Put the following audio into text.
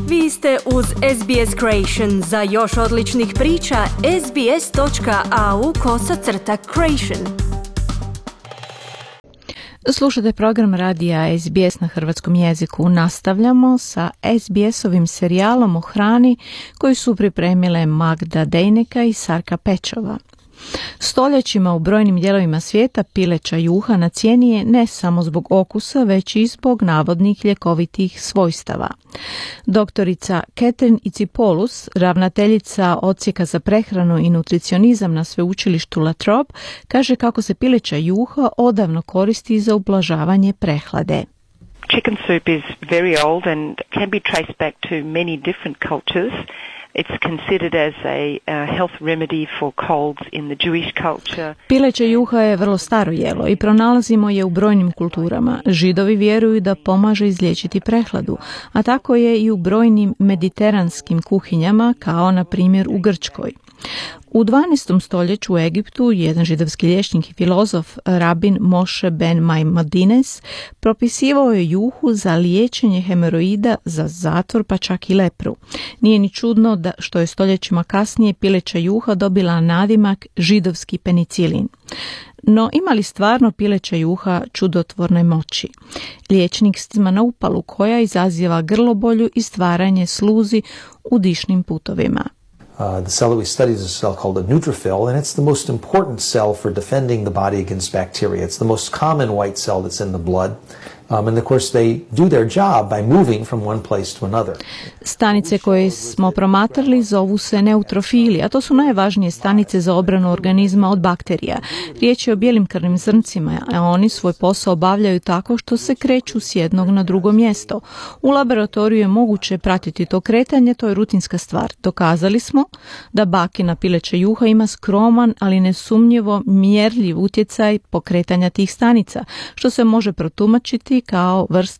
Vi ste uz SBS Creation. Za još odličnih priča, sbs.au/creation. Slušate program radija SBS na hrvatskom jeziku. Nastavljamo sa SBS-ovim serijalom o hrani koji su pripremile Magda Dejneka i Sarka Pečova. Stoljećima u brojnim dijelovima svijeta pileća juha na cijeni je ne samo zbog okusa, već i zbog navodnih ljekovitih svojstava. Doktorica Catherine Itsipoulos, ravnateljica odsjeka za prehranu i nutricionizam na sveučilištu La Trobe, kaže kako se pileća juha odavno koristi za ublažavanje prehlade. Chicken soup is very old and can be traced back to many different cultures. It's considered as a health remedy for colds in the Jewish culture. Pileće juha je vrlo staro jelo i pronalazimo je u brojnim kulturama. Židovi vjeruju da pomaže izliječiti prehladu, a tako je i u brojnim mediteranskim kuhinjama, kao na primjer u Grčkoj. U 12. stoljeću u Egiptu jedan židovski liječnik i filozof, rabin Moshe ben Maimonides, propisivao je juhu za liječenje hemoroida, za zatvor pa čak i lepru. Nije ni čudno da što je stoljećima kasnije pileća juha dobila nadimak židovski penicilin. No ima li stvarno pileća juha čudotvorne moći? Liječnik ima na upalu koja izaziva grlobolju i stvaranje sluzi u dišnim putovima. The cell that we study is a cell called a neutrophil, and it's the most important cell for defending the body against bacteria. It's the most common white cell that's in the blood. And of course they do their job by moving from one place to another. Stanice koje smo promatrali zovu se neutrofili, a to su najvažnije stanice za obranu organizma od bakterija. Riječ je o bijelim krvnim zrncima, a oni svoj posao obavljaju tako što se kreću s jednog na drugo mjesto. U laboratoriju je moguće pratiti to kretanje, to je rutinska stvar. Dokazali smo da bakina pileća juha ima skroman, ali nesumnjivo mjerljiv utjecaj pokretanja tih stanica, što se može protumačiti kao vrsta